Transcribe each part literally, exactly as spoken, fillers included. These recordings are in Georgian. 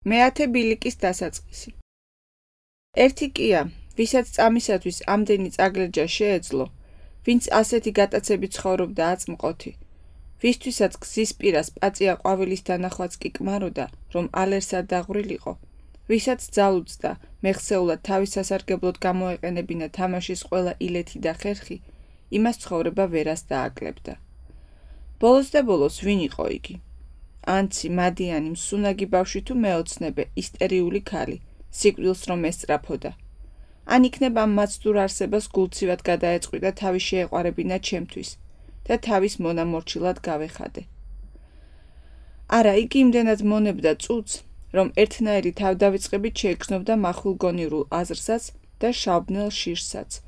მეათე ბილიკის დასაწყისი. ერთი კია, ვისაც წამისათვის ამდენი წაგლეჯა შეეძლო, ვინც ასეთი გატაცებით ცხოვრობდა აწმყოთი, ვისთვისაც გზის პირას პაწია ყვავილის დანახვაც კი კმაროდა, რომ ალერსად დაღვრილიყო, ვისაც ძალუძდა, მეხსეულად თავის სასარგებლოდ გამოეყენებინა თამაშის ყველა ილეთი და ხერხი, იმას ცხოვრება ვერას დააკლებდა. ბოლოს და ბოლოს ვინ იყო იგი? ანცი, მადიანი, მსუნაგი ბავშვი თუ მეოცნებე, ისტერიული ქალი, სიკვდილს რომ ესწრაფოდა. ან იქნებ ამ მაცდურ არსებას გულცივად გადაეწყვიტა თავის შეეყვარებინა ჩემთვის და თავის მონამორჩილად გავეხადე. არა, იგი იმდენად მონებდა წუთს, რომ ერთნაირი თავდავიწყებით შეეგრძნობდა მახვილგონივრულ აზრსაც და შავბნელ შირსაც,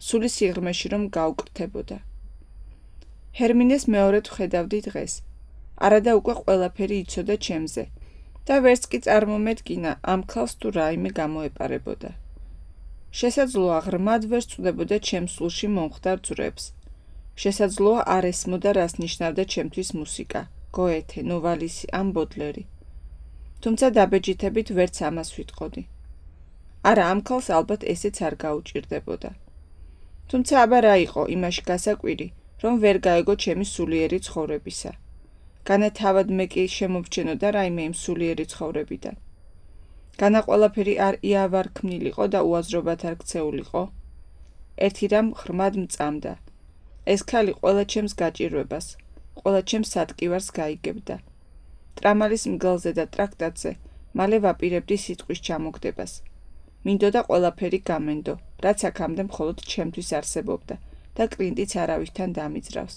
სული სიღრმეში რომ გაუკრთებოდა. ჰერმინეს მეორედ ვხედავდი დღეს. არადა უკვე ყველაფერი იცოდა ჩემზე და ვერც კი წარმომედგინა ამ ქალს თუ რაიმე გამოეპარებოდა. შესაძლოა ღრმად ვერ სწვდებოდა ჩემს სულში მომხდარ ძვრებს. შესაძლოა არ ესმოდა რას ნიშნავდა ჩემთვის მუსიკა, გოეთე, ნოვალისი ან ბოდლერი. თუმცა დაბეჯითებით ვერც ამას ვიტყოდი. არა, ამ ქალს ალბათ ესეც არ გაუჭირდებოდა. თუმცა აბა რა იყო იმაში გასაკვირი, რომ ვერ გაეგო ჩემი სულიერი ცხოვრებისა. განათავად მე კი შემოვჩენოდა რაიმე იმ სულიერი ცხოვრებიდან. განა ყველაფერი არ იავარ ქმნილიყო და უაზრობად არ ქცეულიყო. ერთი რამ ღრმად მწამდა. ეს ქალი ყველა ჩემს გაჭირვებას, ყველა ჩემს სატკივარს გაიგებდა. ტრამალის მგელზე და ტრაქტატზე მალე ვაპირებდი სიტყვის ჩამოგდებას. მინდოდა ყველაფერი გამენდო, რაც აქამდე მხოლოდ ჩემთვის არსებობდა და კლინტიც არავითთან დამიძრავს.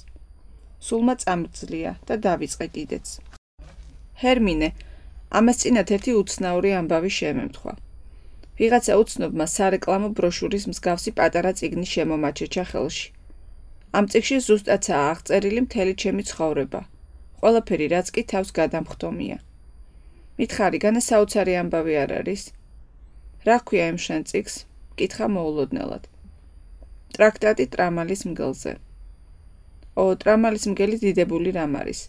სულმა წამძლია და დავიწყე კიდეც. ჰერმინე, ამას წინათ ერთი უცნაური ამბავი შემემთხვა. ვიღაცა უცნობმა სარეკლამო ბროშურის მსგავსი პატარა წიგნი შემომაჩეჩა ხელში. ამ წიგნში ზუსტადაა აღწერილი მთელი ჩემი ცხოვრება. ყველაფერი რაც კი თავს გადამხდომია. მითხარი, განა საოცარი ამბავი არ არის? რა ქვია იმ შენ წიგნს? კითხა მოულოდნელად. ტრაქტატი ტრამალის მგელზე. ო, ტრამალის მგელი დიდებული რამ არის?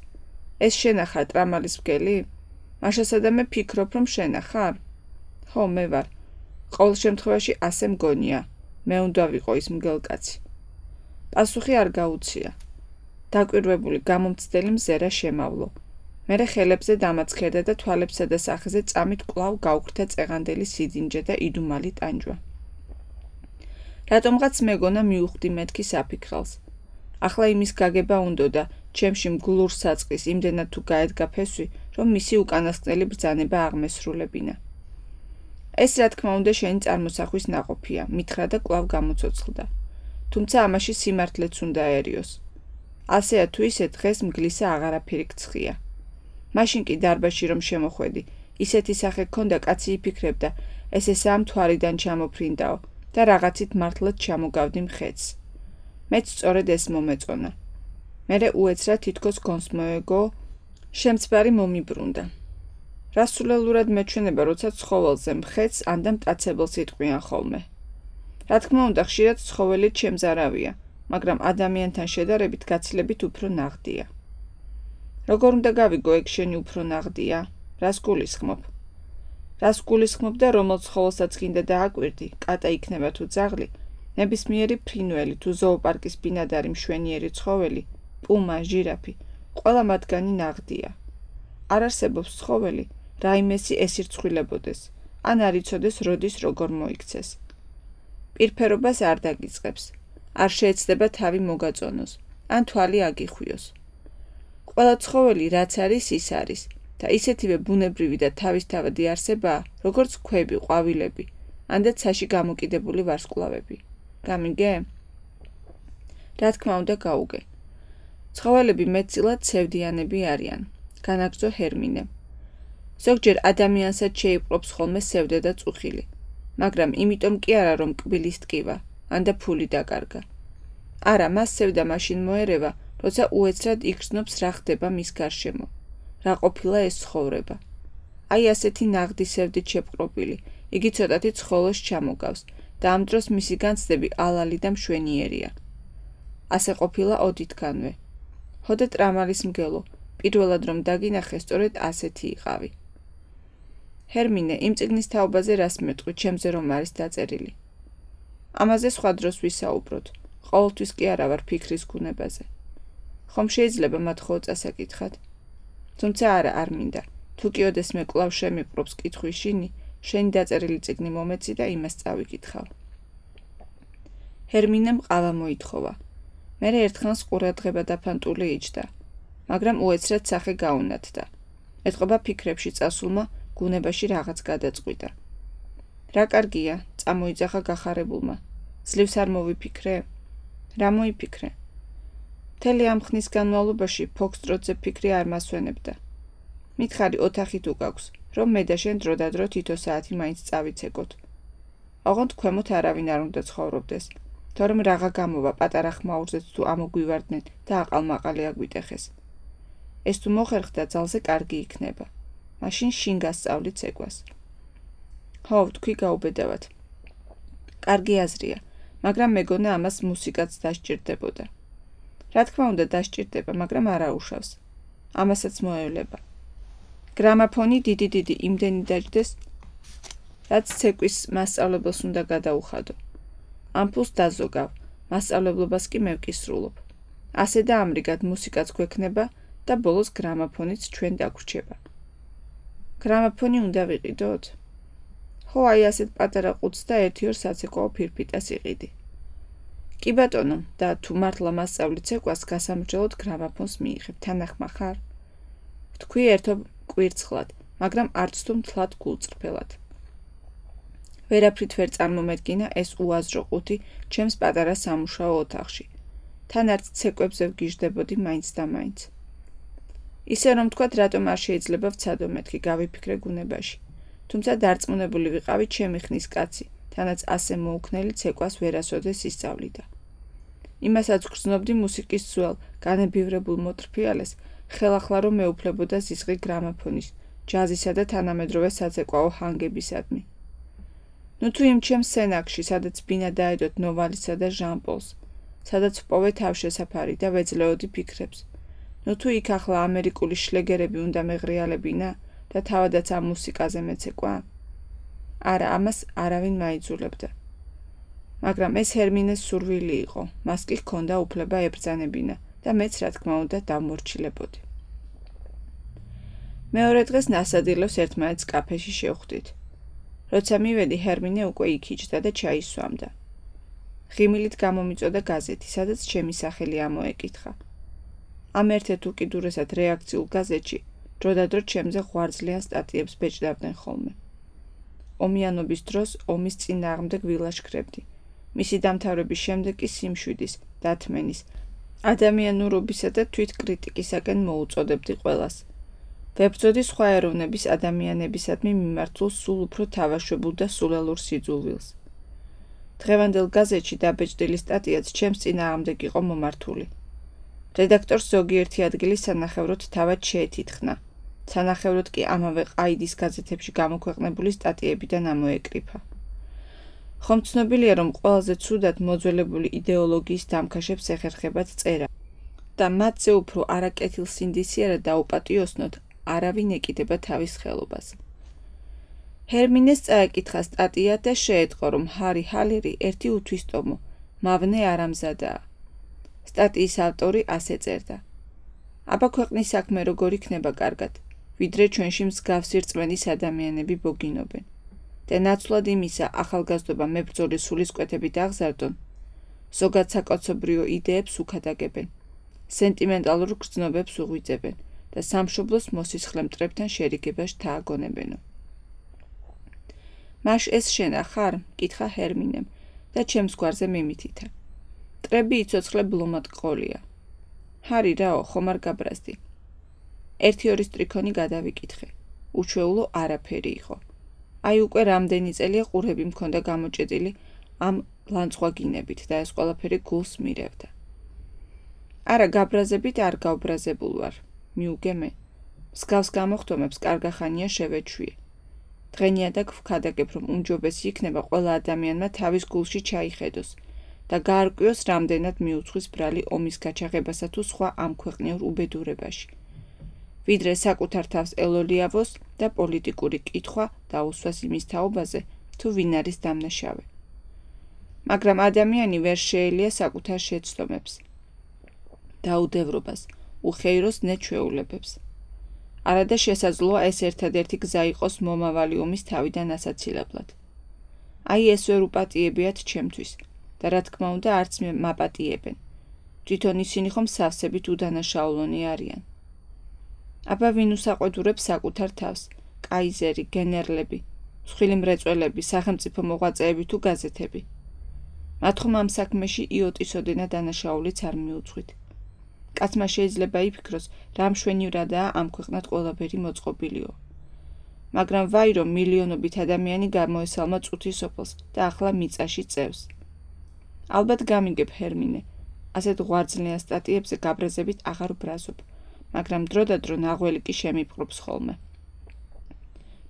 ეს შენა ხარ ტრამალის მგელი? მაშასადა მე ფიქრობ, რომ შენა ხარ? ხო, მე ვარ. ყოველ შემთხვევაში ასე მგონია. მე უნდა ვიყო ის მგელკაცი. პასუხი არ გაუცია. დაკვირვებული გამომცდელი მზერა შემავლო. მერე ხელებზე დამაცხერდა და თვალებსა და სახეზე წამით კვლავ გაუხრთა წეღანდელი სიდინჯე და იდუმალი ტანჯვა. რატომღაც მეგონა მიუხვდი მეთქი საფიქრალს. ახლა იმის გაგება უნდოდა ჩემში მგლურ საწყის იმდენად თუ გაედგა ფესვი, რომ მისი უკანასკნელი ბრძანება აღმესრულებინა. ეს რა თქმა უნდა შენი წარმოსახვის ნაყოფია, მითხრა და კვლავ გამოცოცხლდა. თუმცა ამაში სიმართლეც უნდა აერიოს. ასეა თუ ისე დღეს მგლისა აღარაფერი გცხია. მაშინ კი დარბაზში რომ შემოხვედი, ისეთი სახე ჰქონდა კაცი იფიქრებდა, ეს ესაა მთვარიდან ჩამოფრინდაო და რაღაცით მართლაც ჩამოგავდი მხეცს. მეც სწორედ ეს მომეწონა. მერე უეცრად თითქოს გონს მოეგო, შემცბარი მომიბრუნდა. რასულელურად მეჩვენება, როცა ცხოველზე მხეცს ან და მტაცებელს იტყვიან ხოლმე. რა თქმა უნდა, ხშირად ცხოველი ჩემს არავია, მაგრამ ადამიანთან შედარებით გაცილებით უფრო ნაღდია. როგორ უნდა გავიგო ეგ შენი უფრო ნაღდია? რას გულისხმობ? რას გულისხმობ და რომელ ცხოველსაც გინდა დააკვირდი, კატა იქნება თუ ძაღლი, ნებისმიერი ფრინველი თუ ზოოპარკის ბინადარი მშვენიერი ცხოველი, პუმა, ჟირაფი, ყველა მათგანი ნაღდია. არ არსებობს ცხოველი, რაიმესი ესირცხვილებოდეს, ან არ იცოდეს როდის როგორ მოიქცეს. პირფერობას არ დაგიწყებს, არ შეეცდება თავი მოგაწონოს, ან თვალი აგიხვიოს. ყველა ცხოველი რაც არის ის არის და ისეთივე ბუნებრივი და თავისთავადი არსებაა, როგორც ქვები, ყვავილები, ან და ცაში გამოკიდებული ვარსკვლავები. გამიგე? რა თქმა უნდა გაუგე. ცხოველები მეტწილად ცევდიანები არიან, განაგრძო ჰერმინე. ზოგჯერ ადამიანსაც შეიპყრობს ხოლმე სევდა და წუხილი, მაგრამ იმიტომ კი არა რომ კბილის ტკივა, ან და ფული დაკარგა. არა, მას სევდა მაშინ მოერევა, როცა უეცრად იგრძნობს რა ხდება მის გარშემო, რა ყოფილა ეს ცხოვრება. აი ასეთი ნაღდი სევდით შეპყრობილი, იგი ცოტათი ცხოველს ჩამოგავს და ამ დროს მისი განცდები ალალი და მშვენიერია. ასე ყოფილა ოდითგანვე. ჰოდე ტრამალის მგელო, პირველად რომ დაგინახე, სწორედ ასეთი იყავი. ჰერმინე, იმ წიგნის თაობაზე რას მეტყვი, ჩემზე რომ არის დაწერილი? ამაზე სხვა დროს ვისაუბროთ. ყოველთვის კი არა ვარ ფიქრის გუნებაზე. ხომ შეიძლება მათ ხო წასაკითხად? თუმცა არა, არ მინდა. თუ კი ოდესმე კვლავ შემიყრობს კითხვის შინი, შენი დაწერილი წიგნი მომეცი და იმას წავიკითხავ. ჰერმინემ ყავა მოითხოვა. მერე ერთხანს ყურადღება დაფანტული იჯდა, მაგრამ უეცრად სახე გაუნათდა. ეტყობა ფიქრებში წასულმა გუნებაში რაღაც გადაწყვიტა. რა კარგია, წამოიძახა გახარებულმა. ძლივს არ მოვიფიქრე? რა მოიფიქრე? მთელი ამ ხნის განმავლობაში ფოქსტროტზე ფიქრი არ მასვენებდა. მითხარი ოთახი თუ გაქვს, რომ მე და შენ დროდადრო თითო საათი მაინც წავიცეკოთ. ოღონდ ქვემოთ არავინ არ უნდა ცხოვრობდეს, თორემ რაღა გამოვა პატარა ხმაურზეც თუ ამოგვივარდნენ და აყალმაყალი აგვიტეხეს. ეს თუ მოხერხდა, ძალზე კარგი იქნება. მაშინ შინ გასწავლი ცეკვას. ხო, თქვი გაუბედავად. კარგი აზრია, მაგრამ მეგონა ამას მუსიკაც დასჭირდებოდა. რა თქმა უნდა დასჭირდება, მაგრამ არ აუშავს. ამასაც მოევლება. გრამაფონი დიდი დიდი იმდენი დაჯდეს, რაც ცეკვის მასწავლებელს უნდა გადაუხადო. ამ ფულს დაზოგავ, მასწავლებლობას კი მე ვკისრულობ. ასე და ამრიგად მუსიკაც გვექნება და ბოლოს გრამაფონიც ჩვენ დაგვრჩება. გრამაფონი უნდა ვიყიდოთ? ხო, აი ასეთ პატარა ყუთს და ერთი-ორ საცეკვაო ფირფიტას იყიდი. კი ბატონო, და თუ მართლა მასწავლი ცეკვას, გასამრჯელოდ გრამაფონს მიიღებ, თანახმა ხარ? თქვი ერთობ კვირცხლად, მაგრამ არც თუ მთლად გულწრფელად. ვერაფრით ვერ წარმომედგინა ეს უაზრო ყუთი ჩემს პატარა სამუშაო ოთახში. თან არც ცეკვებზე ვგიჟდებოდი მაინც და მაინც. ისე რომ თქვათ, რატომ არ შეიძლება ვცადო მეთქი, გავიფიქრე გუნებაში. თუმცა დარწმუნებული ვიყავი ჩემი ხნის კაცი, თანაც ასე მოუქნელი ცეკვას ვერასოდეს ისწავლიდა. იმასაც გრძნობდი მუსიკის ძველ, განებივრებულ მოტრფიალეს, ხელახლა რომ მეუფლებოდა ზისღი გრამაფონის, ჯაზისა და თანამედროვე საცეკვაო ჰანგებისადმი. ნუ თუ იმ ჩემს სენაკში, სადაც ბინა დაედოთ ნოვალისა და ჟან-პოლს, სადაც ვპოვე თავშესაფარი და ვეძლეოდი ფიქრებს. ნუ თუ იქ ახლა ამერიკული შლეგერები უნდა მეღრიალებინა და თავადაც ამ მუსიკაზე მეცეკვა? არა, ამას არავინ მაიძულებდა. მაგრამ ეს ჰერმინეს სურვილი იყო, მას კი ჰქონდა უფლება ებრძანებინა და მეც რა თქმა უნდა დავმორჩილებოდი. მეორე დღეს ნასადილოს ერთმანეთს კაფეში შევხვდით. როცა მივედი, ჰერმინე უკვე იქ იჯდა და ჩაის სვამდა. ღიმილით გამომიწოდა გაზეთი, სადაც ჩემი სახელი ამოეკითხა. ამ ერთ-ერთ უკიდურესად რეაქციულ გაზეთში დროდადრო ჩემზე ღვარძლიან სტატიებს ბეჭდავდნენ ხოლმე. ომიანობის დროს ომის წინააღმდეგ ვილაშქრებდი. მისი დამთავრების შემდეგ კი სიმშვიდის, დათმენის, ადამიანურობისა და თვითკრიტიკისაკენ მოუწოდებდი ყველას. ვებრძოდი სხვა ეროვნების ადამიანებისადმი მიმართულ სულ უფრო თავაშვებულ და სულელურ სიძულვილს. დღევანდელ გაზეთში დაბეჭდილი სტატიაც ჩემს წინააღმდეგ იყო მომართული. რედაქტორს ზოგიერთი ადგილი სანახევროდ თავად შეეთითხნა. სანახევროდ კი ამავე ყაიდის გაზეთებში გამოქვეყნებული სტატიებიდან ამოეკრიფა. ხომ ცნობილია, რომ ყველაზე ცუდად მოძველებული იდეოლოგიის დამქაშებს ეხერხებათ წერა და მათზე უფრო არაკეთილსინდისიერად დაუპატიოსნოთ არავინ ეკიდება თავის ხელობას. ჰერმინეს წაეკითხა სტატია და შეეტყო, რომ ჰარი ჰალერი ერთი უთვისტომო, მავნე არამზადაა. სტატიის ავტორი ასე წერდა. აბა ქვეყნის საქმე როგორ იქნება კარგად, ვიდრე ჩვენში მსგავსი რწმენის ადამიანები ბოგინობენ. და ნაცვლად იმისა ახალგაზრდობა მებრძოლის სულისკვეთებით აღზარდონ, ზოგად საკაცობრიო იდეებს უქადაგებენ, სენტიმენტალურ გრძნობებს უღვიძებენ და სამშობლოს მოსისხლე მტრებთან შერიგებას თააგონებენო. მაშ ეს შენა ხარ? კითხა ჰერმინემ და ჩემს გვარზე მიმითითა. მტრები იცოცხლე ბლომად ყოლია. ჰარი რაო, ხომ არ გაბრაზდი? ერთი-ორი სტრიქონი გადავიკითხე. უჩვეულო არაფერი იყო. აი უკვე რამდენი წელია ყურები მქონდა გამოჭედილი ამ ლანცხვაგინებით და ეს ყველაფერი გულს მირევდა. არა, გაბრაზებით არ გავბრაზებულ ვარ, მიუგე მე. მსგავს გამოხდომებს კარგახანია შევეჩვიე. დღენიადაგ ვქადაგებ, რომ უმჯობესი იქნება ყველა ადამიანმა თავის გულში ჩაიხედოს და გაარკვიოს, რამდენად მიუძღვის ბრალი ომის გაჩაღებასა თუ სხვა ამ ქვეყნიურ უბედურებაში. ვიდრე საკუთარ თავს ელოლიავოს და პოლიტიკური კითხვა დაუსვას იმის თაობაზე, თუ ვინ არის დამნაშავე. მაგრამ ადამიანი ვერ შეელია საკუთარ შეცდომებს, დაუდევრობას, უხეიროს ნეჩვეულებებს. არადა შესაძლოა ეს ერთადერთი გზა იყოს მომავალი ომის თავიდან ასაცილებლად. აი ეს ვერ უპატიებიათ ჩემთვის და რა თქმა უნდა არც მაპატიებენ. თვითონ ისინი ხომ სავსებით უდანაშაულონი არიან. აბა ვინ უსაყვედურებს საკუთარ თავს, კაიზერი, გენერლები, მსხვილი მრეწველები, სახელმწიფო მოღვაწეები თუ გაზეთები. მათ ხომ ამ საქმეში იოტისოდენა დანაშაულიც არ მიუძღვით. კაცმა შეიძლება იფიქროს, რა მშვენივრადაა ამ ქვეყნად ყველაფერი მოწყობილიო. მაგრამ ვაი რომ მილიონობით ადამიანი გამოესალმა წუთი სოფელს და ახლა მიწაში წევს. ალბათ გამიგებ ჰერმინე, ასეთ ღვარძლიან სტატიებზე გაბრაზებით აღარ ვბრაზობ, მაგრამ დროდადრო ნაღველი კი შემიპყრობს ხოლმე.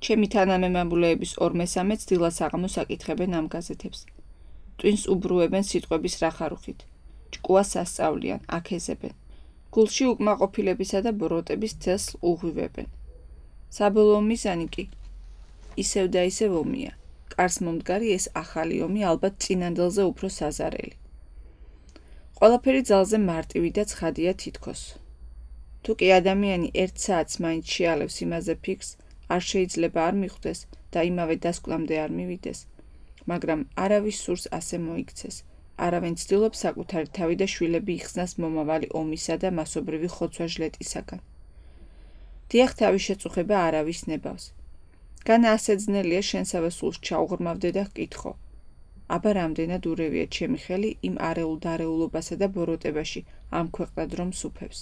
ჩემი თანამემამულეების ორმესამეც დილას აღამოს აკითხებენ ამ გაზეთებს. ტვინს უბრუებენ სიტყვების რახარუხით, ჭკუას ასწავლიან, აქეზებენ. გულში უკმაყოფილებისა და ბროტების თესლს უღვივებენ. საბოლოო მიზანი კი ისევ და ისევ ომია. კარს მომდგარი ეს ახალი ომი ალბათ წინანდელზე უფრო საზარელი. ყველაფერი ძალზე მარტივი და ცხადია თითქოს. თუ კი ადამიანი ერთ საათს მაინც შეალევს იმაზე ფიქრს, არ შეიძლება არ მიხვდეს და იმავე დასკვნამდე არ მივიდეს, მაგრამ არავის სურს ასე მოიქცეს. არავინ ცდილობს საკუთარი თავი და შვილები იხსნას მომავალი ომისა და მასობრივი ხოცვა-ჟლეტისაგან. დიახ, თავის შეწუხება არავის ნებავს. განა ასე ძნელია შენსავე სულს ჩაუღრმავდე და ჰკითხო. აბა რამდენად ურევია ჩემი ხელი იმ არეულ დარეულობასა და ბოროტებაში ამ ქვეყნად რომ სუფევს.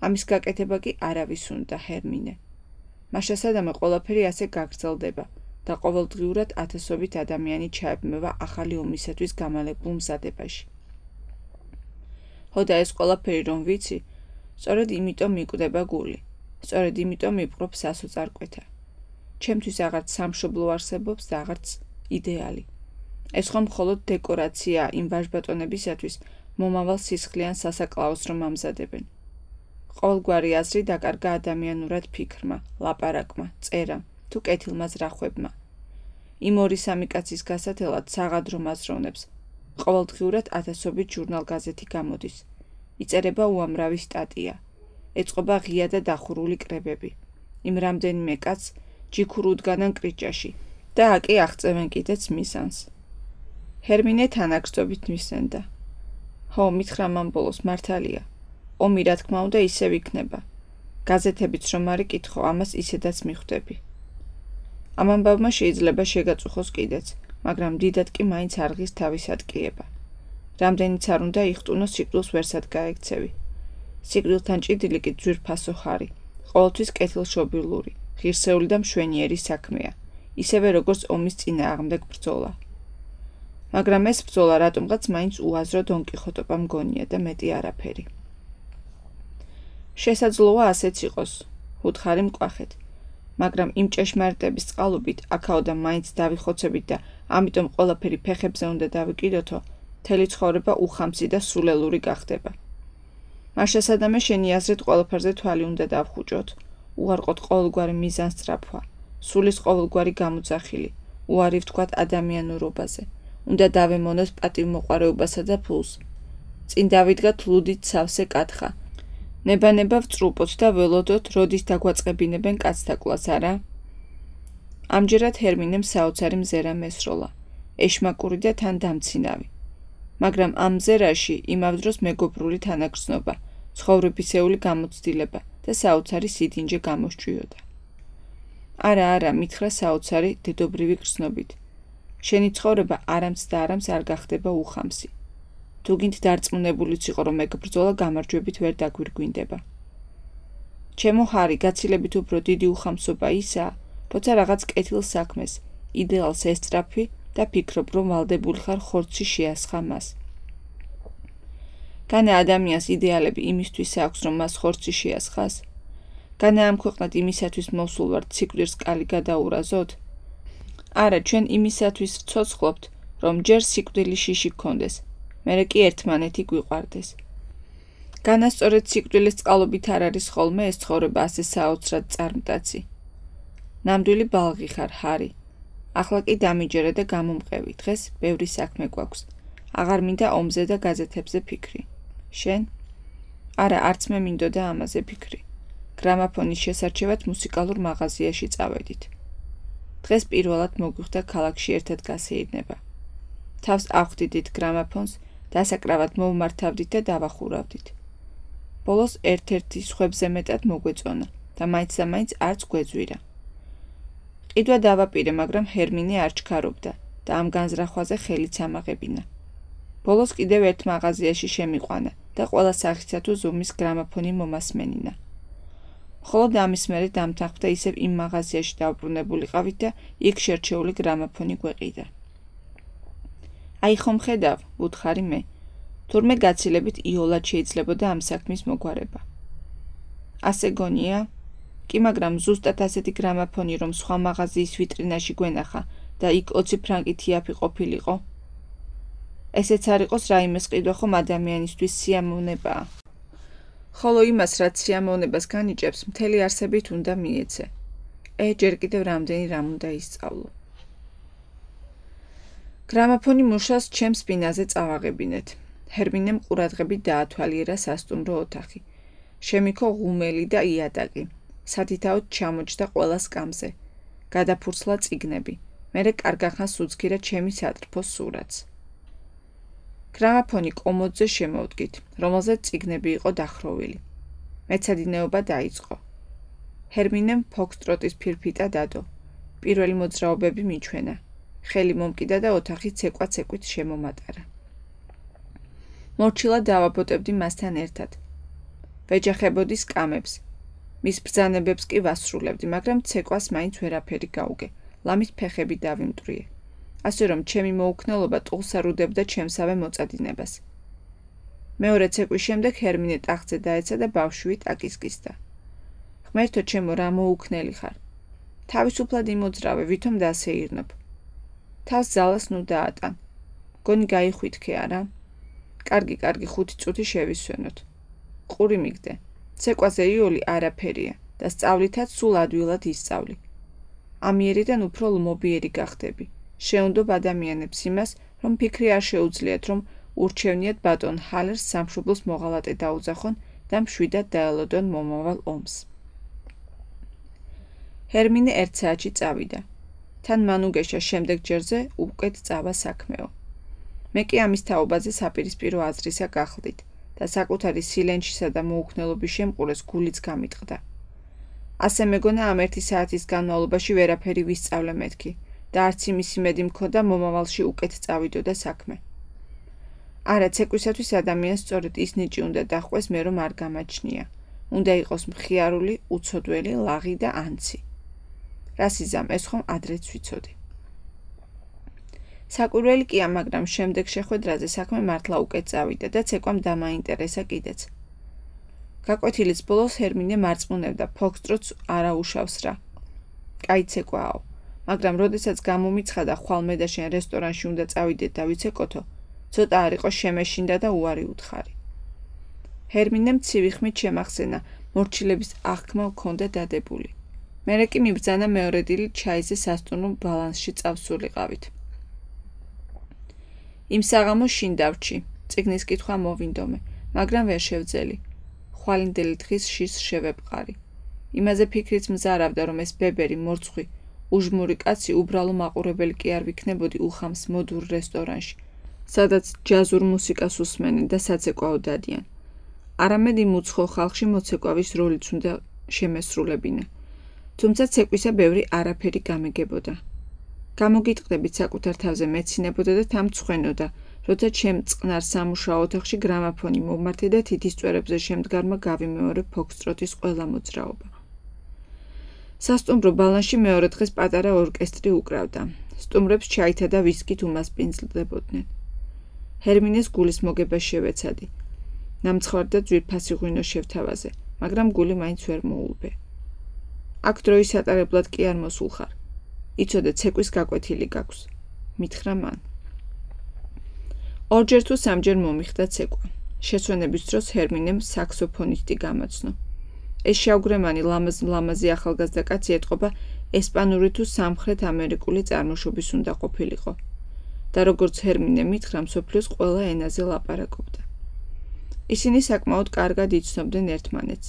ამის გაკეთება კი არავის უნდა, ჰერმინე. მაშა სადამე ყველაფერი ასე გაგრძელდება და ყოველდღიურად ათასობით ადამიანი ჩაებმევა ახალი ომისათვის გამალებულ მზადებაში. ხოდა ეს ყველაფერი რომ ვიცი, სწორედ იმიტომ მიკვდება გული, სწორედ იმიტომ მიპყრობ სასოწარკვეთა. ჩემთვის აღარც სამშობლო არსებობს და აღარც იდეალი. ეს ხომ მხოლოდ დეკორაცია იმ ვაჟბატონებისათვის მომავალ სისხლიან სასაკლაოს რომ ამზადებენ. ყოველგვარი აზრი დაკარგა ადამიანურად ფიქრმა, ლაპარაკმა, წერამ თუ კეთილმა ზრახვებმა. იმ ორი სამი კაცის გასათელად საღადრო აზროვნებს. ყოველდღიურად ათასობით ჟურნალ-გაზეთი გამოდის. იწერება უამრავი სტატია. ეწყობა ღია და დახურული კრებები. იმ რამდენიმე კაცს ჯიქურ უდგანან კრიჭაში და აკი აღწევენ კიდეც მიზანს. ჰერმინე თანაგრძობით მისცენდა. ხო, მითხრა მან ბოლოს, მართალია. ომი რა თქმა უნდა ისევ იქნება. გაზეთებიც რომ არ იკითხო, ამას ისედაც მიხვდები. ამ ამბავმა შეიძლება შეგაწუხოს კიდეც, მაგრამ დიდად კი მაინც არღის თავის ატკიება. რამდენიც არ უნდა იხტუნო სიკვდილს ვერსად გაექცევი. სიკვდილთან ჭიდილი კი ძვირფასო ხარი, ყოველთვის კეთილშობილური, ღირსეული და მშვენიერი საქმეა, ისევე როგორც ომის წინააღმდეგ ბრძოლა. მაგრამ ეს ბრძოლა რატომღაც მაინც უაზრო დონკიხოტობა მგონია და მეტი არაფერი. შესაძლოა ასეც იყოს, უთხარი მკვახეთ, მაგრამ იმ ჭეშმარიტების წყალობით აქაოდან მაინც დავიხოცებით და ამიტომ ყველაფერი ფეხებზე უნდა დავიკიდოთო, მთელი ცხოვრება უხამსი და სულელური გახდება. მაშა სადამე შენი აზრით ყველაფერზე თვალი უნდა დავხუჭოთ, უარყოთ ყოველგვარი მიზანსწრაფვა, სულის ყოველგვარი გამოძახილი, უარი ვთქვათ ადამიანურობაზე, უნდა დავემონოთ პატივმოყვარეობასა და ფულს. წინ დავიდგათ ლუდით სავსე კათხა. ნება-ნება ვწრუპოთ და ველოდოთ, როდის დაგვაწყებინებენ კაცთაკვლას, არა? ამჯერად ჰერმინემ საოცარი მზერა მესროლა, ეშმაკური და თან დამცინავი. მაგრამ ამ მზერაში იმავდროს მეგობრული თანაგრძნობა, ცხოვრებისეული გამოცდილება და საოცარი სიდინჯე გამოსჭვიოდა. არა, არა, მითხრა საოცარი დედობრივი გრძნობით. შენი ცხოვრება არამც და არამც არ გახდება უხამსი. თუ გინდ დარწმუნებულიც იყო, რომ ეგ ბრძოლა გამარჯვებით ვერ დაგვირგვინდება. ჩემო ხარი, გაცილებით უფრო დიდი უხამსობა ისაა, როცა რაღაც კეთილ საქმეს, იდეალს ესწრაფი და ფიქრობ, რომ ვალდებული ხარ ხორცი შეასხა მას. განა ადამიანს იდეალები იმისთვის აქვს, რომ მას ხორცი შეასხას? განა ამ ქვეყნად იმისათვის მოსულ ვართ სიკვდილს კალი გადაურაზოთ? არა, ჩვენ იმისათვის ვცოცხლობთ, რომ ჯერ სიკვდილი შიში გქონდეს, მერე კი ერთმანეთი გვიყვარდეს. განასწორეთ სიკვდილის წყალობით არ არის ხოლმე ეს ცხოვრება ასე საოცრად წარმტაცი. ნამდვილი ბალღი ხარ, ჰარი. ახლა კი დამიჯერე და გამომყევი, დღეს ბევრი საქმე გვაქვს. აღარ მინდა ომზე და გაზეთებზე ფიქრი. შენ? არა, არც მე მინდოდა ამაზე ფიქრი. გრამაფონის შესარჩევად მუსიკალურ მაღაზიაში წავედით. დღეს პირველად მოგვიხდა ქალაქში ერთად გასეირნება. თავს ავხდიდით გრამაფონს, დასაკრავად მოვმართავდით და დავახურავდით. ბოლოს ერთ-ერთი სხვებზე მეტად მოგვეწონა და მაინც და მაინც არც გვეძვირა. ყიდვა დავაპირე, მაგრამ ჰერმინე არ ჩქარობდა და ამ განზრახვაზე ხელიც ამაღებინა. ბოლოს კიდევ ერთ მაღაზიაში შემიყვანა და ყველა სახისა თუ ზომის გრამაფონი მომასმენინა. მხოლოდ ამის მერე დამთანხმდა ისევ იმ მაღაზიაში დავბრუნებულიყავით და იქ შერჩეული გრამაფონი გვეყიდა. აი ხომ ხედავ, ვუთხარი მე, თურმე გაცილებით იოლად შეიძლებოდა ამ საქმის მოგვარება. ასე გონია? კი, მაგრამ ზუსტად ასეთი გრამაფონი რომ სხვა მაღაზიის ვიტრინაში გვენახა და იქ ოცი ფრანკით იაფი ყოფილიყო. ესეც არ იყოს რაიმეს ყიდვა ხომ ადამიანისთვის სიამოვნებაა. ხოლო იმას, რაც სიამოვნებას განიჭებს, მთელი არსებით უნდა მიეცე. ე, ჯერ კიდევ რამდენი რამ უნდა ისწავლო. გრამაფონი მუშას ჩემს სპინაზე წავაღებინეთ. ჰერმინემ ყურადღებით დაათვალიერა სასტუმრო ოთახი. შემიქო ღუმელი და იატაკი. სათითაოდ ჩამოჯდა ყველა სკამზე. გადაფურცლა წიგნები. მერე კარგახანს უძგირა ჩემი სატრფოს სურათს. გრამაფონი კომოდზე შემოვდგით, რომელზეც წიგნები იყო დახროვილი. მეცადინეობა დაიწყო. ჰერმინემ ფოქსტროტის ფირფიტა დადო. პირველი მოძრაობები მიჩვენა. ხელი მომკიდა და ოთახი ცეკვა-ცეკვით შემომატარა. მორჩილად დავაბოტებდი მასთან ერთად. ვეჯახებოდი სკამებს. მის ბრძანებებს კი ვასრულებდი, მაგრამ ცეკვას მაინც ვერაფერი გაუგე. ლამის ფეხები დავიმტვრიე. ასე რომ ჩემი მოუქნელობა ტყუს არ უდებდა ჩემსავე მოწადინებას. მეორე ცეკვის შემდეგ ჰერმინე ტახტზე დაეცა და ბავშვით აკისკისდა. ღმერთო ჩემო, რა მოუქნელი ხარ. თავისუფლად იმოძრავე, ვითომ დასეირნობ. თავს ძალას ნუ დაატან. გონი გაიხვითხე არა? კარგი, კარგი, ხუთი წუთი შევისვენოთ. ყური მიგდე. ცეკვაზე იოლი არაფერია და სწავლითაც სულ ადვილად ისწავლი. ამიერიდან უფრო ლმობიერი გახდები. შეუნდობ ადამიანებს იმას, რომ ფიქრი არ შეუძლიათ, რომ ურჩევნიათ ბატონ ჰალერს სამშობლოს მოღალატე დაუძახონ და მშვიდად დაელოდონ მომავალ ომს. ჰერმინე ერთ საათში წავიდა. თან მანუგეშა შემდეგ ჯერზე უკეთ წავა საქმეო. მე კი ამის თაობაზე საპირისპირო აზრისა გახლდით და საკუთარი სილენჩისა და მოუქნელობის შემყურეს გულიც გამიტყდა. ასე მეგონა ამ ერთი საათის განმავლობაში ვერაფერი ვისწავლე მეთქი და არც იმის იმედი მქონდა მომავალში უკეთ წავიდოდა საქმე. არა, ცეკვისათვის ადამიანს სწორედ ის ნიჭი უნდა დაჰყვეს მე რომ არ გამაჩნია. უნდა იყოს მხიარული, უცოდველი, ლაღი და ანცი. რას იზამ, ეს ხომ ადრეც ვიცოდი. საკვირველი კია, მაგრამ შემდეგ შეხვედრაზე საქმე მართლა უკეთ წავიდა და ცეკვამ დამაინტერესა კიდეც. გაკვეთილის ბოლოს ჰერმინე მარწმუნებდა, ფოქსტროტს არა უშავს რა. კაი ცეკვაო, მაგრამ როდესაც გამომიცხადა ხვალ მე და შენ რესტორანში უნდა წავიდეთ და ვიცეკოთო, ცოტა არ იყო შემეშინდა და უარი უთხარი. ჰერმინემ ცივი ხმით შემახსენა, მორჩილების აღქმა მქონდა დადებული. მერე კი მიბრძანა მეორე დილით ჩაიზე სასტუმრო ბალანსში წავსულიყავით. იმ საღამოს შინ დავრჩი, წიგნის კითხვა მოვინდომე, მაგრამ ვერ შევძელი. ხვალინდელი დღის შის შევეპყარი. იმაზე ფიქრიც მზარავდა, რომ ეს ბებერი, მორცხვი, უჟმური კაცი უბრალო მაყურებელი კი არ ვიქნებოდი უხამს მოდურ რესტორანში, სადაც ჯაზურ მუსიკას უსმენენ და საცეკვაო დადიან. არამედ იმ უცხო ხალხში მოცეკვავის როლიც უნდა შემესრულებინა. თუმცა ცეკვისა ბევრი არაფერი გამეგებოდა. გამოგიტყდებით საკუთარ თავზე მეცინებოდა და თამცხვენოდა, როცა ჩემ წყნარ სამუშაო ოთახში გრამაფონი მომმართე და თითის წვერებზე შემდგარმა გავიმეორე ფოქსტროტის ყველა მოძრაობა. სასტუმრო ბალანსში მეორე დღეს პატარა ორკესტრი უკრავდა. სტუმრებს ჩაითა და ვისკით უმასპინძლდებოდნენ. ჰერმინეს გულის მოგება შევეცადი. ნამცხვარ და ძვირფასი ღვინო შევთავაზე, მაგრამ გული მაინც ვერ მოულბე. აქ დროის ატარებლად კი არ მოსულხარ. იცოდე, ცეკვის გაკვეთილი გაქვს. მითხრა მან. ორჯერ თუ სამჯერ მომიხდა ცეკვა. შეცვენების დროს ჰერმინემ საქსოფონისტი გამოცნო. ეს შავგრემანი ლამაზ-ლამაზი ახალგაზრდა კაცი ეტყობა ესპანური თუ სამხრეთ ამერიკული წარმოშობის უნდა ყოფილიყო და როგორც ჰერმინე მითხრა, მსოფლიოს ყველა ენაზე ლაპარაკობდა. ისინი საკმაოდ კარგად იცნობდნენ ერთმანეთს.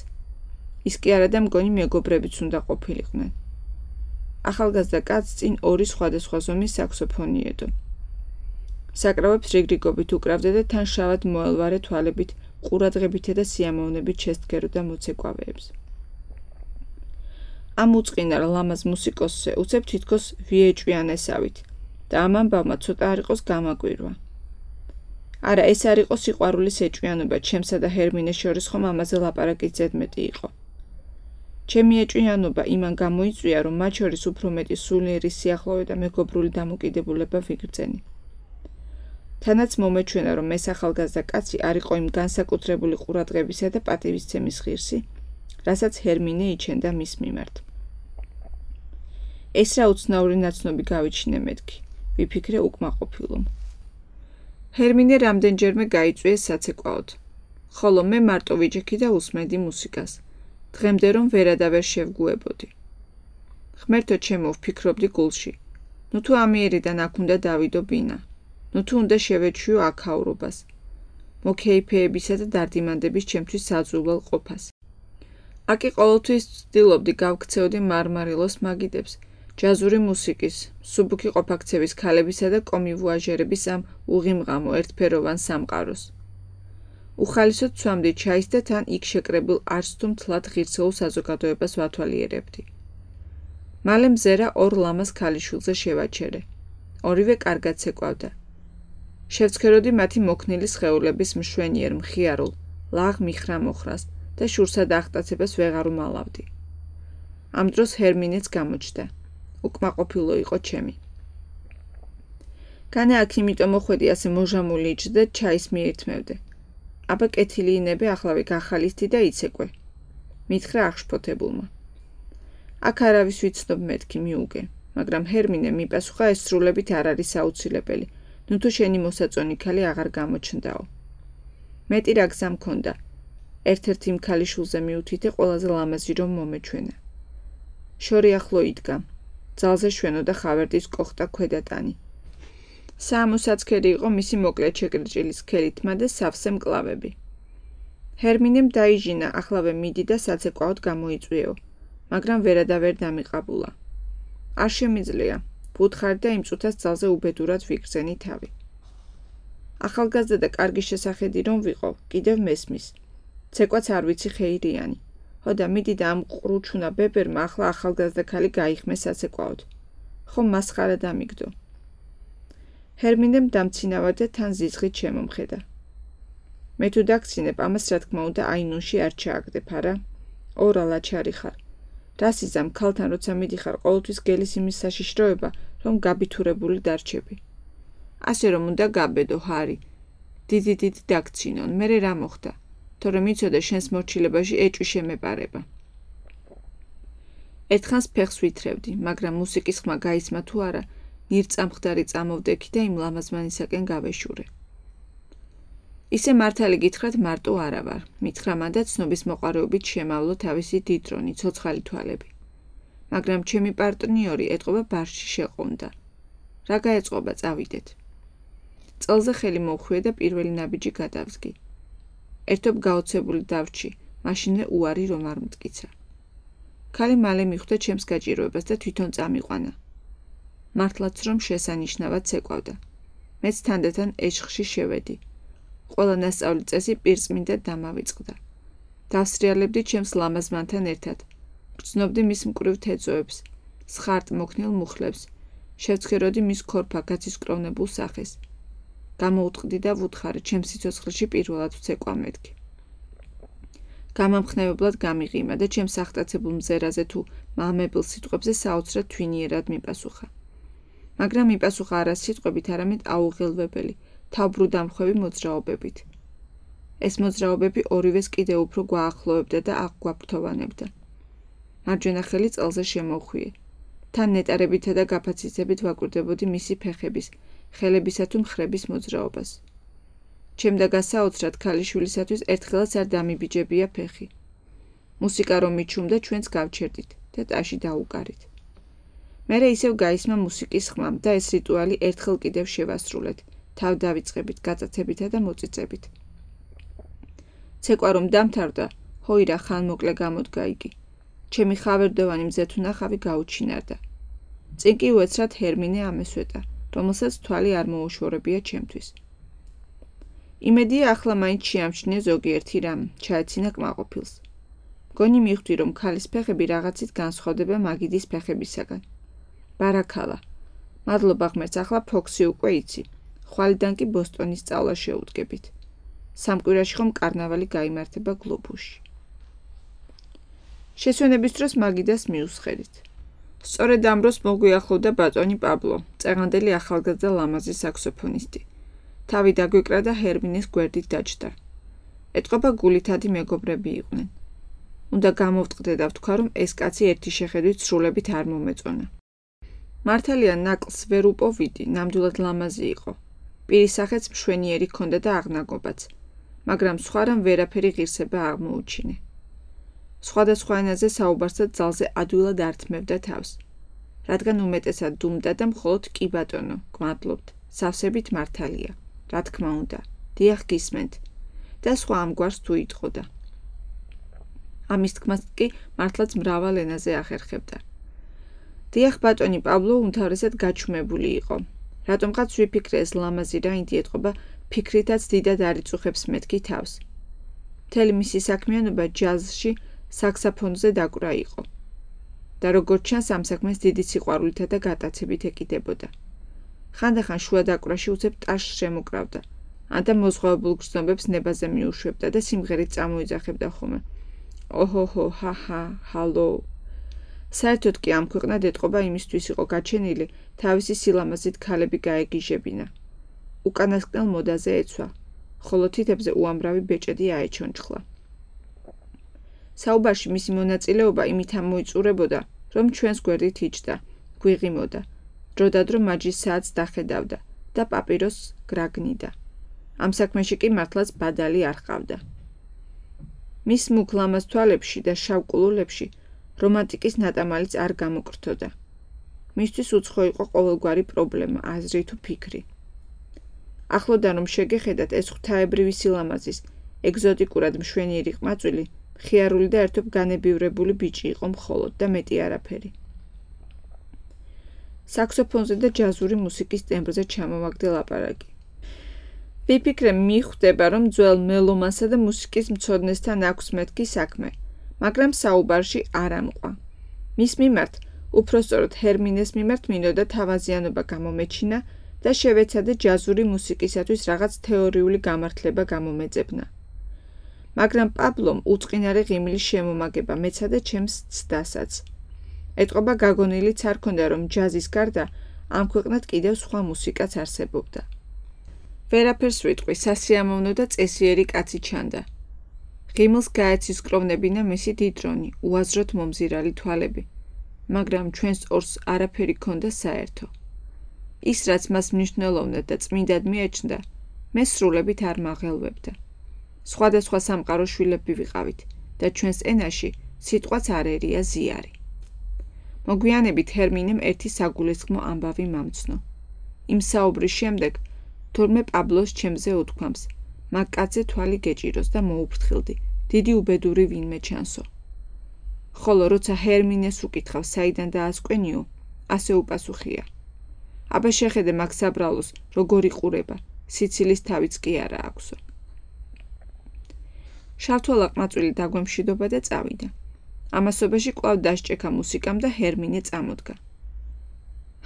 ის კი არა და მგონი მეგობრებიც უნდა ყოფილიყვნენ. ახალგაზრდა კაცს წინ ორი სხვადასხვა ზომის საქსოფონი ედო. საკრავებს რიგრიგობით უკრავდა და თან შავად მოელვარე თვალებით, ყურადღებითა და სიამოვნებით შესდგეროდა მოცეკვავეებს. ამ უწყინარ ლამაზ მუსიკოსზე უცებ თითქოს ვიეჭვიანესავით და ამ ამბავმა ცოტა არ იყოს გამაკვირვა. არა, ეს არ იყო სიყვარულის ეჭვიანობა, ჩემსა და ჰერმინეს შორის ხომ ამაზე ლაპარაკიც ზედმეტი იყო. ჩემი ეჭვიანობა იმან გამოიწვია, რომ მათ შორის უფრო მეტი სულიერი სიახლოვე და მეგობრული დამოკიდებულება ვიგრძენი. თანაც მომეჩვენა, რომ ეს ახალგაზრდა კაცი არ იყო იმ განსაკუთრებული ყურადღებისა და პატივისცემის ღირსი, რასაც ჰერმინე იჩენდა მის მიმართ. ეს რა უცნაური ნაცნობი გავიჩინე მეთქი, ვიფიქრე უკმაყოფილომ. ჰერმინე რამდენჯერმე გაიწვიეს საცეკვაოდ, ხოლო მე მარტო ვიჯექი და უსმენდი მუსიკას. დღემდე რომ ვერადავერ შევგუებოდი. ღმერთო ჩემო, ვფიქრობდი გულში. ნუ თუ ამიერიდან აქ უნდა დავიდო ბინა. ნუ თუ უნდა შევეჩვიო აქაურობას. მოკეიფეებისა და დარდიმანდების ჩემთვის საძულვალ ყოფას. აკი ყოველთვის ვცდილობდი გავქცეოდი მარმარილოს მაგიდებს, ჯაზური მუსიკის, სუბუქი ყოფაქცევის ქალებისა და კომივუაჟერების ამ უღიმღამო ერთფეროვან სამყაროს. უხალისოდ ცვამდი ჩაის და თან იქ შეკრებილ არც თუ მთლად ღირსეულ საზოგადოებას ვათვალიერებდი. მალე მზერა ორ ლამაზ ქალიშვილზე შევაჩერე. ორივე კარგად ცეკვავდა. შევცქეროდი მათი მოქნილი სხეულების მშვენიერ, მხიარულ, ლაღ მიხრა-მოხრას და შურსად აღტაცებას ვეღარ უმალავდი. ამ დროს ჰერმინეც გამოჩნდა. უკმაყოფილო იყო ჩემი. კანა აქ იმიტომ მოხვედი ასე მოჟამული იჯდა და ჩაის მიირთმევდე. აბა კეთილი ინებე ახლავე გახალისდი და იცეკვე. მითხრა აღშფოთებულმა. აქ არავის ვიცნობ მეთქი მიუგე, მაგრამ ჰერმინე მიპასუხა ეს სრულებით არ არის აუცილებელი, ნუ თუ შენი მოსაწონი ქალი აღარ გამოჩნდაო. მეტი რა გზა მქონდა. ერთ-ერთ იმ ქალიშვილზე მიუთითე ყველაზე ლამაზი რომ მომეჩვენა. შორი ახლო იდგა. ძალზე შვენო და ხავერდის კოხტა ქვედატანი. საამოსაცქერი იყო მისი მოკლე ჩეკრიჭილი სქელი თმა და სავსე მკლავები. ჰერმინემ დაიჟინა, ახლავე მიდი და საცეკვაოდ გამოიწვიეო, მაგრამ ვერადავერ დამიყაბულა. არ შემიძლია, ვუთხარი და იმ წუთას ძალზე უბედურად ვიგრძენი თავი. ახალგაზრდა და კარგი შესახედი რომ ვიყო, კიდევ მესმის. ცეკვაც არ ვიცი ხეირიანი. ჰოდა მიდი და ამ ყრუჩუნა ბებერმა ახლა ახალგაზრდა ქალი გაიხმე საცეკვაოდ. ხომ მასხარა დამიგდო. ჰერმინემ დამცინავა და თან ზიზღით შემომხედა. მე თუ დაგცინებ, ამას რა თქმა უნდა აინუნში არ ჩააგდებ, არა? ორა ლაჩარი ხარ. რას იზამ ქალთან როცა მიდიხარ ყოველთვის გელის იმის საშიშროება, რომ გაბითურებული დარჩები. ასე რომ უნდა გაბედო, ჰარი. დიდი დიდი დაგცინონ, მერე რა მოხდა? თორემ იცოდე შენს მორჩილებაში ეჭვი შემეპარება. ერთხანს ფეხს ვითრევდი, მაგრამ მუსიკის ხმა გაისმა თუ არა, ნირწამხდარი წამოვდექი და იმ ლამაზმანისაკენ გავეშურე. ისე მართალი გითხრათ მარტო არა ვარ, მითხრა მან და ცნობის მოყარეობით შემავლო თავისი დიდრონი, ცოცხალი თვალები. მაგრამ ჩემი პარტნიორი ეტყობა ბარში შეყონდა. რა გაეწყობა, წავიდეთ. წელზე ხელი მოვხვიე და პირველი ნაბიჯი გადავსგი. ერთობ გაოცებული დავრჩი, მაშინე უარი რომ არ მტკიცა. ქალი მალე მიხვდა ჩემს გაჭიროებას და თვითონ წამიყვანა. მართლაც რომ შესანიშნავად ცეკვავდა. მეც თანდათან ეშხში შევედი. ყველა ნასწავლი წესი პირწმინდად დამავიწყდა. დავსრიალებდი ჩემს ლამაზმანთან ერთად. გრძნობდი მის მკვრივ თეწოებს, სხარტ მოქნილ მუხლებს, შევცქეროდი მის ქორფა გაცისკროვნებულ სახეს. გამოუტყდი და ვუთხარი ჩემს სიცოცხლეში პირველად ვცეკვა მეთქი. გამამხნევებლად გამიღიმა და ჩემს აღტაცებულ მზერაზე თუ მამებელ სიტყვებზე საოცრად თვინიერად მიპასუხა. მაგრამ მიპასუხა არა სიტყვებით, არამედ აუღელვებელი, თავბრუდამხვევი მოძრაობებით. ეს მოძრაობები ორივეს კიდევ უფრო გვაახლოვებდა და აღგვაფრთოვანებდა. მარჯვენა ხელი წელზე შემოვხვიე. თან ნეტარებითა და გაფაციცებით ვაკვირდებოდი მისი ფეხების, ხელებისა თუ მხრების მოძრაობას. ჩემდა გასაოცრად ქალიშვილისათვის ერთხელაც არ დამიბიჯებია ფეხი. მუსიკა რომ მიჩუმდა ჩვენც გავჩერდით და ტაში დაუკარით. მერე ისევ გაისმა მუსიკის ხმა და ეს რიტუალი ერთხელ კიდევ შევასრულეთ, თავ დავიწყებით გაწაცებითა და მოწიწებით. ცეკვა რომ დამთავრდა, ჰოირა ხანმოკლე გამოდგა იგი. ჩემი ხავერდოვანი მზეთუნახავი გაუჩინარდა. წინ კი უეცრად ჰერმინე ამესვეტა, რომელსაც თვალი არ მოუშორებია ჩემთვის. იმედია ახლა მაინც შეამჩნია ზოგიერთი რამ, ჩაეცინა კმაყოფილს. მგონი მიხვდი, რომ ქალის ფეხები რაღაცით განსხვავდება მაგიდის ფეხებისაგან. ბარაქალა. მადლობა ღმერთს, ახლა ფოქსი უკვე იცი. ხვალიდან კი ბოსტონის სწავლა შეუდგებით. სამ კვირაში ხომ კარნავალი გაიმართება გლობუსში. შესვენების დროს მაგიდას მიუსხერით. სწორედ ამ დროს მოგვიახლოვდა ბატონი პაბლო, წეღანდელი ახალგაზრდა ლამაზი საქსოფონისტი. თავი დაგვეკრა და ჰერმინეს გვერდით დაჯდა. ეტყობა გულითადი მეგობრები იყვნენ. უნდა გამოვტყდე და ვთქვა, რომ ეს კაცი ერთი შეხედვით სრულებით არ მომეწონა. მართალია ნაკლს ვერ უპოვიდი, ნამდვილად ლამაზი იყო. პირის სახეც მშვენიერი ჰქონდა და აღნაგობაც, მაგრამ სხვა რამ ვერაფერი ღირსება აღმოუჩინე. სხვადასხვა ენაზე საუბარსაც ძალზე ადვილად ართმევდა თავს, რადგან უმეტესად დუმდა და მხოლოდ კი ბატონო, გმადლობთ, სავსებით მართალია, რა თქმა უნდა, დიახ გისმენთ და სხვა ამგვარს თუ იტყოდა. ამის თქმას კი მართლაც მრავალ ენაზე ახერხებდა. დიახ ბატონი პაბლო უმთავრესად გაჩუმებული იყო. რატომღაც ვიფიქრე ეს ლამაზი რაინდი ეტყობა ფიქრითაც დიდად არ იწუხებს მეთქი თავს. მთელი მისი საქმიანობა ჯაზში საქსაფონზე დაკვრა იყო. და როგორც ჩანს ამ საქმეს დიდი სიყვარულითა და გატაცებით ეკიდებოდა. ხანდახან შუა დაკვრაში უცებ ტაშს შემოკრავდა, ან და მოზღვავებულ გრძნობებს ნებაზე მიუშვებდა და სიმღერით წამოიძახებდა ხოლმე. ოჰოჰო, ჰაჰა, ჰალო. საერთოდ კი ამ ქვეყნად ეტყობა იმისთვის იყო გაჩენილი, თავისი სილამაზით ქალები გაეგიჟებინა. უკანასკნელ მოდაზე ეცვა, ხოლო თითებზე უამრავი ბეჭედი აეჩონჩხლა. საუბარში მისი მონაწილეობა იმით ამოიწურებოდა, რომ ჩვენს გვერდით იჯდა, გვიღიმოდა, დროდადრო მაჯის საათს დახედავდა და პაპიროსს გრაგნიდა. ამ საქმეში კი მართლაც ბადალი არ ჰყავდა. მის მუქ ლამაზ თვალებში და შავ კულულებში რომანტიკის ნატამალიც არ გამოკრთოდა. მისთვის უცხო იყო ყოველგვარი პრობლემა, აზრი თუ ფიქრი. ახლოდან რომ შეგეხედათ ეს ღვთაებრივი სილამაზის, ეგზოტიკურად მშვენიერი ყმაწვილი, მხიარული და ერთობ განებივრებული ბიჭი იყო მხოლოდ და მეტი არაფერი. საქსოფონზე და ჯაზური მუსიკის ტემბრზე ჩამოვაგდე ლაპარაკი. ვიფიქრე მიხვდება, რომ ძველ მელომანსა და მუსიკის მცოდნესთან აქვს მეთქი საქმე, მაგრამ საუბარში არ ამყვა. მის მიმართ, უпроსწორად ჰერმინეს მიმართ მინდოდა თავაზიანობა გამომეჩინა და შევეცადე ჯაზური მუსიკისათვის რაღაც თეორიული გამართლება გამომეძებნა. მაგრამ პაბლომ უწყინარი ღიმილის შემომაგება მეცადა ჩემს ცდასაც. ეტყობა გაგონილიც არ ქონდა, რომ ჯაზის გარდა ამ ქვეყნად კიდევ სხვა მუსიკაც არსებობდა. ვერაფერს ვიტყვი, სასიამოვნო და წესიერი კაცი ჩანდა. ღიმილს გაეცისკროვნებინა მისი დიდრონი, უაზროდ მომზირალი თვალები, მაგრამ ჩვენს ორს არაფერი ქონდა საერთო. ის, რაც მას მნიშვნელოვნად და წმინდად მიეჩნდა, მე სრულებით არ მაღელვებდა. სხვადასხვა სამყაროს შვილები ვიყავით და ჩვენს ენაში სიტყვაც არ ერია ზიარი. მოგვიანებით ჰერმინემ ერთი საგულისხმო ამბავი მომცნო. იმ საუბრის შემდეგ თურმე პაბლოს ჩემზე უთქვამს, მაგ კაცზე თვალი გეჭიროს და მოუფრთხილდი, დიდი უბედური ვინმე ჩანსო. ხოლო როცა ჰერმინეს უკითხავს, საიდან დაასკვენიო, ასე უპასუხია. აბა შეხედე მაგ საბრალოს, როგორ იყურება, სიცილის თავიც კი არა აქვსო. შავთვალა ყმაწვილი დაგვემშვიდობა და წავიდა. ამასობაში კვლავ დასჭექა მუსიკამ და ჰერმინე წამოდგა.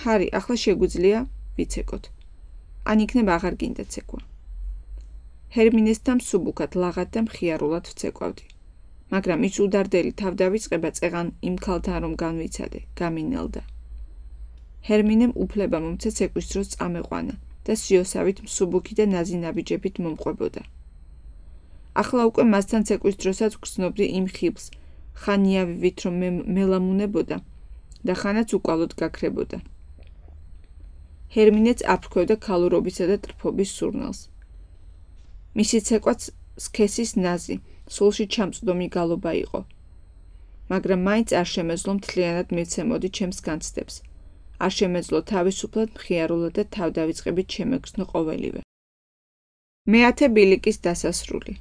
ჰარი, ახლა შეგვიძლია ვიცეკოთ. ან იქნებ აღარ გინდა ცეკვა. ჰერმინესთან მსუბუქად ლაღად და მხიარულად ვცეკვავდი. მაგრამ ის უდარდელი თავდავიწყება წეღან იმ ქალთან რომ განვიცადე, გამინელდა. ჰერმინემ უფლება მომცე ცეკვის დროს წამეყვანა და სიოსავით მსუბუქი და ნაზი-ნაბიჯებით მომყვებოდა. ახლა უკვე მასთან ცეკვის დროსაც გრძნობდი იმ ხიბლს, ხან იავივით რომ მე მელამუნებოდა და ხანაც უკვალოდ გაქრებოდა. ჰერმინეც აფრქვევდა ქალურობისა და ტრფობის სურნელს. მისი ცეკვაც სქესის ნაზი, სულში ჩამწვდომი გალობა იყო. მაგრამ მაინც არ შემეძლო მთლიანად მივცემოდი ჩემს განცდებს. არ შემეძლო თავისუფლად მხიარულად და თავდავიწყებით შემეგრძნო ყოველივე. მეათე ბილიკის დასასრული.